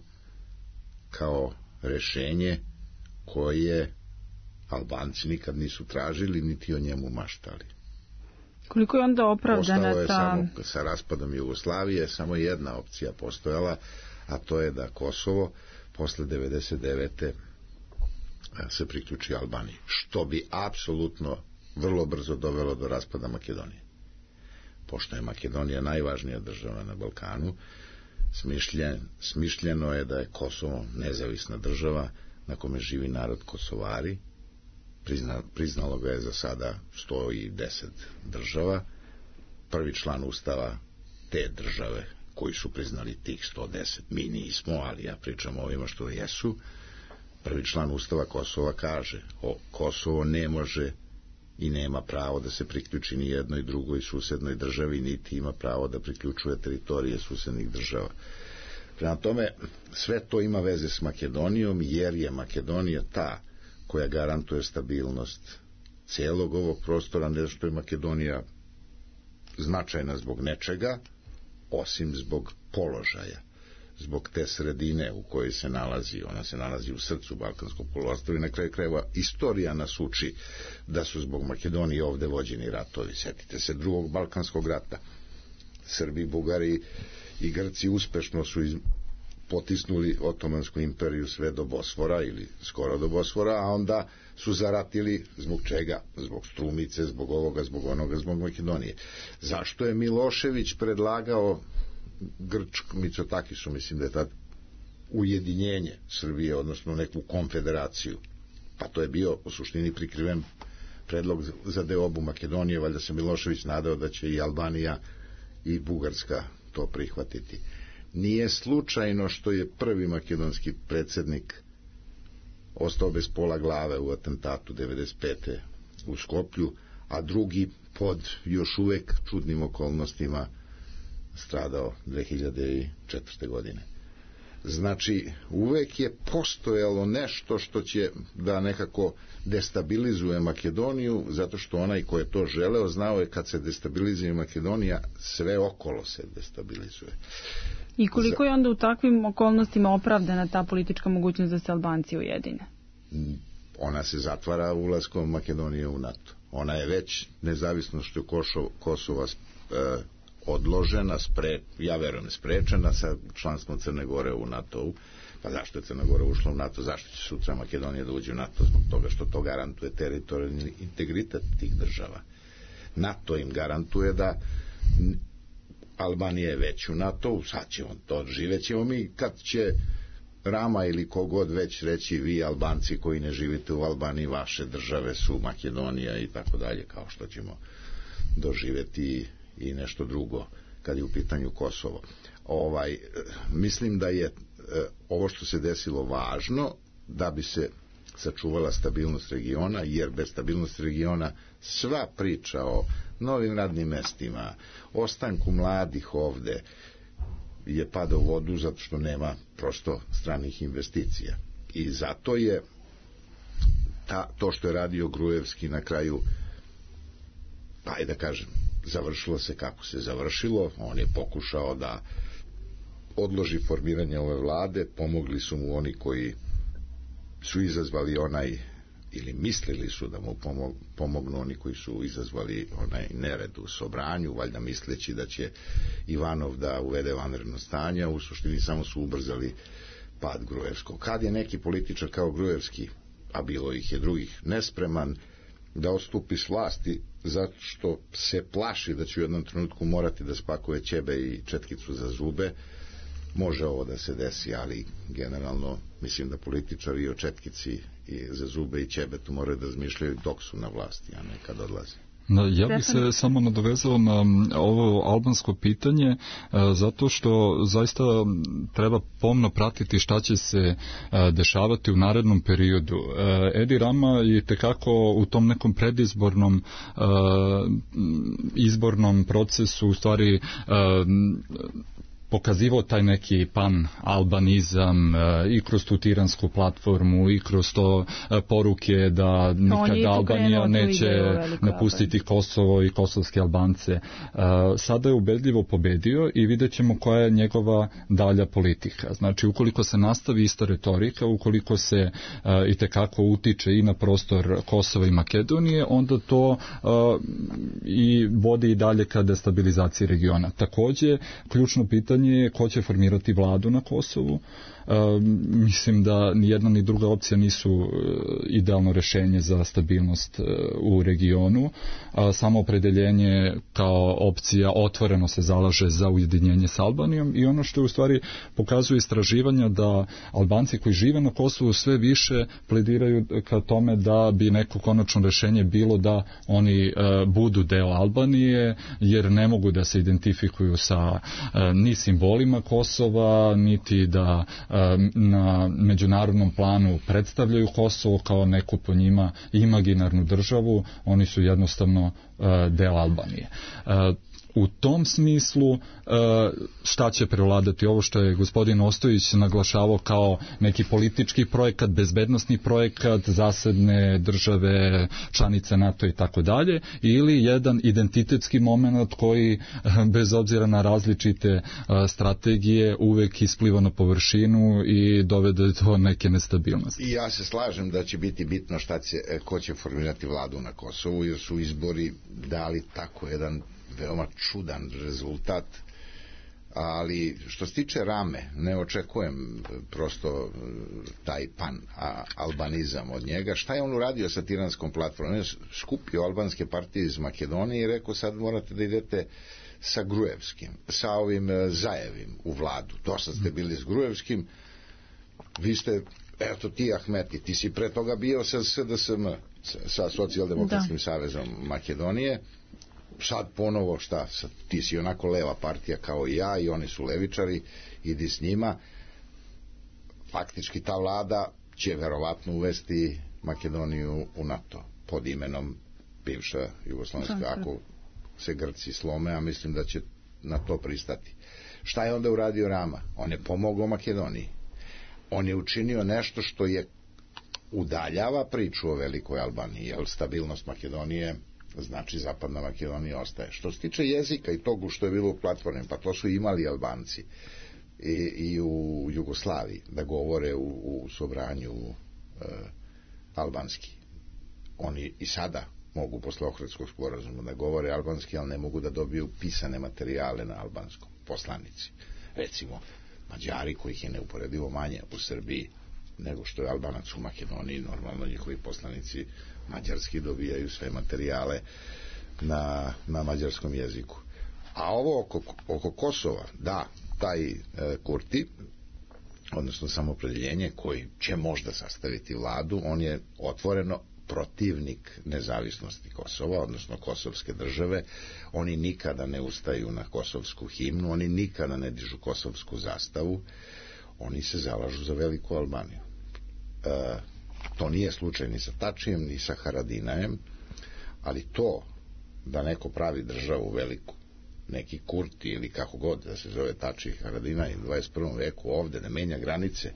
kao rešenje koje Albanci nikad nisu tražili niti o njemu maštali. Koliko je onda opravdana Ostalo je ta... samo sa raspadom Jugoslavije samo jedna opcija postojala, a to je da Kosovo posle devedeset devete se priključi Albaniji, što bi apsolutno vrlo brzo dovelo do raspada Makedonije. Pošto je Makedonija najvažnija država na Balkanu, smišljen, smišljeno je da je Kosovo nezavisna država na kome živi narod Kosovari. Prizna, priznalo ga je za sada sto deset država. Prvi član ustava te države koji su priznali tih sto deset, mi nismo, ali ja pričam o ovima što jesu. Prvi član ustava Kosova kaže: o, Kosovo ne može i nema pravo da se priključi ni jednoj drugoj susednoj državi, niti ima pravo da priključuje teritorije susednih država. Prema tome, sve to ima veze s Makedonijom, jer je Makedonija ta koja garantuje stabilnost celog ovog prostora, ne što je Makedonija značajna zbog nečega, osim zbog položaja, zbog te sredine u kojoj se nalazi. Ona se nalazi u srcu Balkanskog poluostrva i na kraju krajeva istorija nas uči da su zbog Makedonije ovde vođeni ratovi. Sjetite se drugog Balkanskog rata. Srbi, Bugari i Grci uspešno su iz... potisnuli Otomansku imperiju sve do Bosfora ili skoro do Bosfora, a onda su zaratili zbog čega? Zbog Strumice, zbog ovoga, zbog onoga, zbog Makedonije. Zašto je Milošević predlagao Grčk, Micotakisu, mislim da je tad, ujedinjenje Srbije, odnosno neku konfederaciju? Pa to je bio u suštini prikriven predlog za deobu Makedonije, valjda se Milošević nadao da će i Albanija i Bugarska to prihvatiti. Nije slučajno što je prvi makedonski predsjednik ostao bez pola glave u atentatu devedeset pete u Skoplju, a drugi pod još uvek čudnim okolnostima stradao dve hiljade četvrte godine. Znači, uvek je postojalo nešto što će da nekako destabilizuje Makedoniju, zato što onaj ko je to želeo znao je kad se destabilizuje Makedonija, sve okolo se destabilizuje. I koliko je onda u takvim okolnostima opravdana ta politička mogućnost da se Albanci ujedine? Ona se zatvara ulaskom Makedonije u NATO. Ona je već nezavisnošću Kosova e, odložena, spre, ja verujem sprečena sa članstvom Crne Gore u NATO-u. Pa zašto je Crna Gora ušla u NATO? Zašto će sutra Makedonija da uđe u NATO? Zbog toga što to garantuje teritorijalni integritet tih država. NATO im garantuje da Albanija je već u NATO, sad ćemo to, živećemo mi kad će Rama ili kogod već reći vi Albanci koji ne živite u Albaniji, vaše države su Makedonija i tako dalje, kao što ćemo doživeti i nešto drugo kad je u pitanju Kosovo. Ovaj, mislim da je ovo što se desilo važno da bi se sačuvala stabilnost regiona, jer bez stabilnosti regiona sva priča o novim radnim mestima, ostanku mladih ovde je pada u vodu zato što nema prosto stranih investicija. I zato je ta, to što je radio Gruevski na kraju, pa i da kažem, završilo se kako se završilo. On je pokušao da odloži formiranje ove vlade, pomogli su mu oni koji su izazvali onaj, ili mislili su da mu pomognu oni koji su izazvali onaj nered u Sobranju, valjda misleći da će Ivanov da uvede vanredno stanje, u suštini samo su ubrzali pad Gruevskog. Kad je neki političar kao Gruevski, a bilo ih je drugih, nespreman da odstupi s vlasti zato što se plaši da će u jednom trenutku morati da spakuje ćebe i četkicu za zube, može ovo da se desi, ali generalno mislim da političari o četkici i za zube i ćebetu moraju da razmišljaju dok su na vlasti, a ne kad odlaze. Da, ja bih se samo nadovezao na ovo albansko pitanje, zato što zaista treba pomno pratiti šta će se dešavati u narednom periodu. Edi Rama je tekako u tom nekom predizbornom izbornom procesu u stvari pokazivao taj neki pan-albanizam i kroz tu tiransku platformu i kroz to poruke da nikada Albanija neće napustiti Kosovo i kosovske Albance. Sada je ubedljivo pobedio i vidjet ćemo koja je njegova dalja politika. Znači, ukoliko se nastavi ista retorika, ukoliko se i tekako utiče i na prostor Kosova i Makedonije, onda to i vodi i dalje ka destabilizaciji regiona. Takođe, ključno pitanje je ko će formirati vladu na Kosovu. E, mislim da ni jedna ni druga opcija nisu idealno rešenje za stabilnost u regionu. A, samo opredeljenje kao opcija otvoreno se zalaže za ujedinjenje s Albanijom i ono što u stvari pokazuje istraživanja da Albanci koji žive na Kosovu sve više plediraju ka tome da bi neko konačno rešenje bilo da oni e, budu deo Albanije, jer ne mogu da se identifikuju sa e, ni simbolima Kosova, niti da na međunarodnom planu predstavljaju Kosovo kao neku po njima imaginarnu državu, oni su jednostavno deo Albanije. U tom smislu šta će prevladati ovo što je gospodin Ostojić naglašavao kao neki politički projekat, bezbednosni projekat, zasedne države, članice NATO i tako dalje, ili jedan identitetski moment koji bez obzira na različite strategije uvek ispliva na površinu i dovede do neke nestabilnosti. I ja se slažem da će biti bitno šta će, ko će formirati vladu na Kosovu, jer su izbori dali tako jedan veoma čudan rezultat, ali što se tiče Rame, ne očekujem prosto taj pan-albanizam od njega. Šta je on uradio sa tiranskom platformom? On je skupio albanske partije iz Makedonije i rekao sad morate da idete sa Gruevskim, sa ovim Zajevim u vladu. To sad ste bili s Gruevskim, vi ste, eto ti Ahmeti, ti si pre toga bio sa S D S M, sa Socijaldemokratskim savezom Makedonije, sad ponovo šta, sad, ti si onako leva partija kao i ja i oni su levičari, idi s njima. Faktički ta vlada će verovatno uvesti Makedoniju u NATO pod imenom bivša Jugoslovenska, ako se Grci slome, a mislim da će na to pristati. Šta je onda uradio Rama? On je pomogao Makedoniji. On je učinio nešto što je udaljava priču o velikoj Albaniji, jer stabilnost Makedonije znači Zapadna Makedonija ostaje. Što se tiče jezika i togu što je bilo u platformi, pa to su imali Albanci i, i u Jugoslaviji da govore u, u Sobranju e, albanski. Oni i sada mogu posle Ohridskog sporazuma da govore albanski, ali ne mogu da dobiju pisane materijale na albanskom, poslanici. Recimo, Mađari, kojih je neuporedivo manje u Srbiji nego što je Albanac u Makedoniji, normalno njihovi poslanici mađarski dobijaju sve materijale na, na mađarskom jeziku. A ovo oko, oko Kosova, da, taj e, Kurti, odnosno samoopredjeljenje koji će možda sastaviti vladu, on je otvoreno protivnik nezavisnosti Kosova, odnosno kosovske države. Oni nikada ne ustaju na kosovsku himnu, oni nikada ne dižu kosovsku zastavu, oni se zalažu za veliku Albaniju. E, to nije slučaj ni sa Tačijem, ni sa Haradinajem, ali to da neko pravi državu veliku, neki Kurti ili kako god da se zove Tači i Haradinaj u dvadeset prvom veku ovde, da menja granice,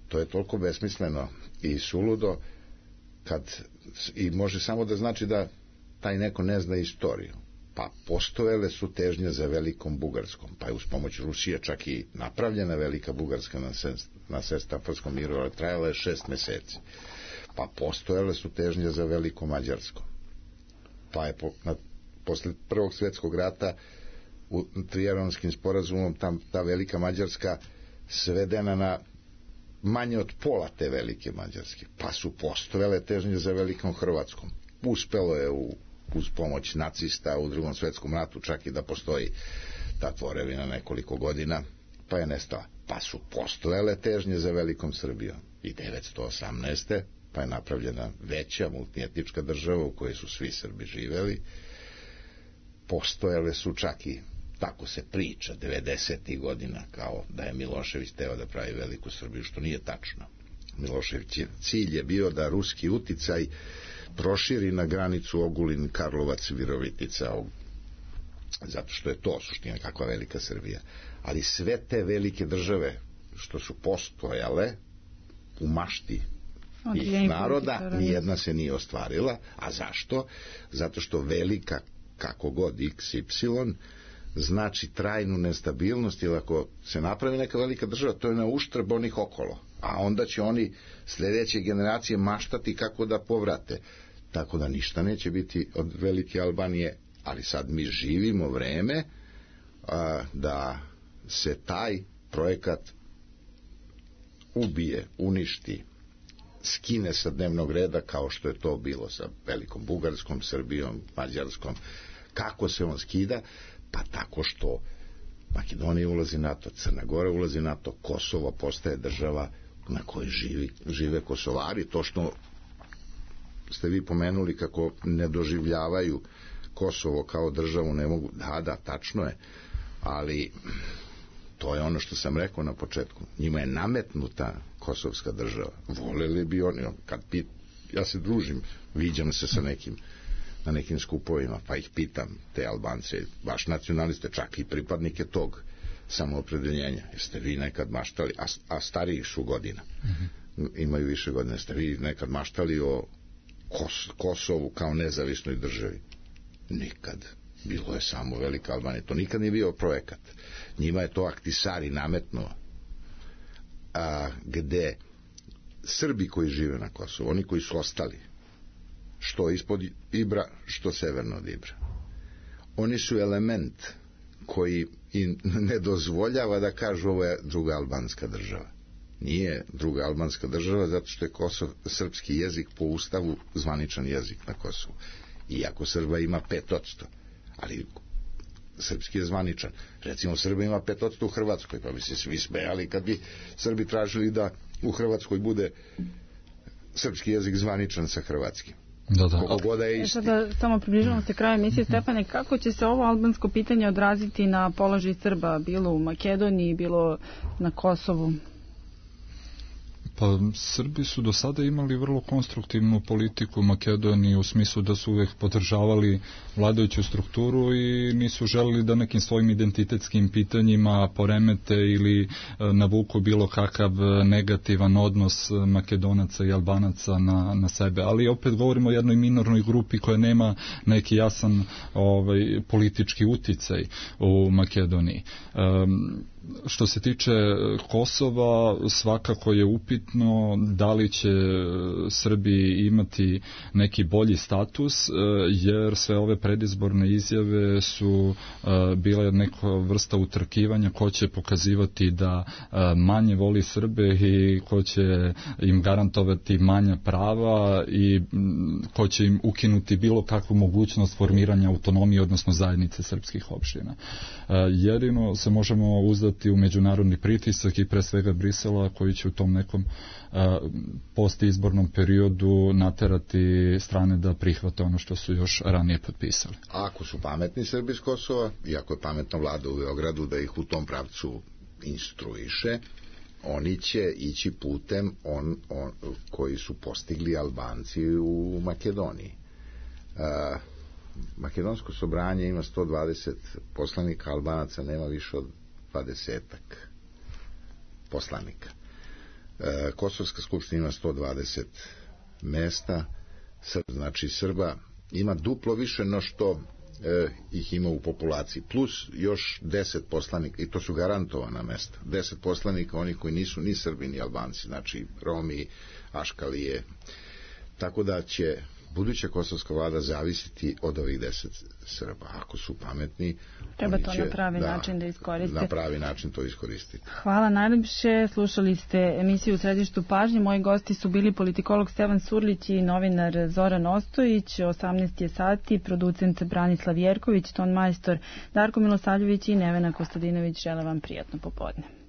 to je toliko besmisleno i suludo, kad, i može samo da znači da taj neko ne zna istoriju. Pa postojele su težnje za velikom Bugarskom, pa je uz pomoć Rusije čak i napravljena velika Bugarska na, sest, na Sestafarskom miru, ali trajala je šest meseci. Pa postojele su težnje za velikom Mađarskom. Pa je po, na, posle Prvog svjetskog rata u Trijanonskim sporazumom tam, ta velika Mađarska svedena na manje od pola te velike Mađarske. Pa su postojale težnje za velikom Hrvatskom. Uspelo je u, uz pomoć nacista u Drugom svjetskom ratu čak i da postoji ta tvorevina nekoliko godina, pa je nestala. Pa su postojale težnje za velikom Srbijom. I devetsto osamnaeste pa je napravljena veća multietnička država u kojoj su svi Srbi živeli. Postojale su čak i, tako se priča, devedesetih godina, kao da je Milošević teo da pravi veliku Srbiju, što nije tačno. Milošević cilj je bio da ruski uticaj proširi na granicu Ogulin, Karlovac, Virovitica, zato što je to suština kakva velika Srbija. Ali sve te velike države što su postojale u mašti tih naroda, nijedna se nije ostvarila. A zašto? Zato što velika, kako god iks ipsilon, znači trajnu nestabilnost, ili ako se napravi neka velika država, to je na uštrb onih okolo, a onda će oni sljedeće generacije maštati kako da povrate, tako da ništa neće biti od velike Albanije. Ali sad mi živimo vreme a, da se taj projekat ubije, uništi, skine sa dnevnog reda, kao što je to bilo sa velikom Bugarskom, Srbijom, Mađarskom. Kako se on skida? Pa tako što Makedonija ulazi NATO, Crna Gora ulazi NATO, Kosovo postaje država na kojoj živi, žive Kosovari. To što ste vi pomenuli kako ne doživljavaju Kosovo kao državu, ne mogu, da, da, tačno je, ali to je ono što sam rekao na početku, njima je nametnuta kosovska država. Voleli bi oni, kad pit, ja se družim, viđam se sa nekim na nekim skupovima, pa ih pitam, te Albance, baš nacionaliste, čak i pripadnike tog samoopredeljenja, jeste vi nekad maštali, a, a stariji su godina, mm-hmm. imaju više godina, jeste vi nekad maštali o Kos, Kosovu kao nezavisnoj državi? Nikad. Bilo je samo velika Albanija, to nikad nije bio projekat. Njima je to Ahtisari nametnuo, a, gde Srbi koji žive na Kosovu, oni koji su ostali, što ispod Ibra, što severno od Ibra, oni su element koji im ne dozvoljava da kažu ovo je druga albanska država. Nije druga albanska država zato što je Kosov, srpski jezik po ustavu zvaničan jezik na Kosovu. Iako Srba ima pet odsto, ali srpski je zvaničan. Recimo Srba ima pet odsto u Hrvatskoj, pa bi se svi smejali kad bi Srbi tražili da u Hrvatskoj bude srpski jezik zvaničan sa hrvatskim. Da, da. Koliko god je isti. Sada samo približavamo se kraju emisije. Stefane, kako će se ovo albansko pitanje odraziti na položaj Srba, bilo u Makedoniji, bilo na Kosovu? Pa Srbi su do sada imali vrlo konstruktivnu politiku u Makedoniji u smislu da su uvek podržavali vladajuću strukturu i nisu želeli da nekim svojim identitetskim pitanjima poremete ili navuku bilo kakav negativan odnos Makedonaca i Albanaca na, na sebe. Ali opet govorimo o jednoj minornoj grupi koja nema neki jasan ovaj, politički uticaj u Makedoniji. Um, Što se tiče Kosova, svakako je upit nebitno da li će Srbi imati neki bolji status, jer sve ove predizborne izjave su bile neka vrsta utrkivanja ko će pokazivati da manje voli Srbe i ko će im garantovati manja prava i ko će im ukinuti bilo kakvu mogućnost formiranja autonomije, odnosno zajednice srpskih opština. Jedino se možemo uzdati u međunarodni pritisak i pre svega Brisela, koji će u tom nekom postizbornom periodu naterati strane da prihvate ono što su još ranije potpisali. A ako su pametni Srbi iz Kosova, i ako je pametna vlada u Beogradu da ih u tom pravcu instruiše, oni će ići putem on, on, koji su postigli Albanci u Makedoniji. Uh, Makedonsko sobranje ima sto dvadeset poslanika, Albanaca nema više od dvadesetak poslanika. Uh, Kosovska skupština ima sto dvadeset mesta, znači Srba ima duplo više no što E, ih ima u populaciji, plus još deset poslanika, i to su garantovana mesta, deset poslanika onih koji nisu ni Srbi ni Albanci, znači Romi, Aškalije, tako da će buduća kosovska vlada zavisiti od ovih deset Srba. Ako su pametni, treba to će, na pravi da, način da iskoriste. Na pravi način to iskoristiti. Hvala najljepše. Slušali ste emisiju U središtu pažnje. Moji gosti su bili politikolog Stevan Surlić i novinar Zoran Ostojić. osamnaest je sati, producent Branislav Jerković, ton majstor Darko Milosavljević i Nevena Kostadinović. Žele vam prijatno popodne.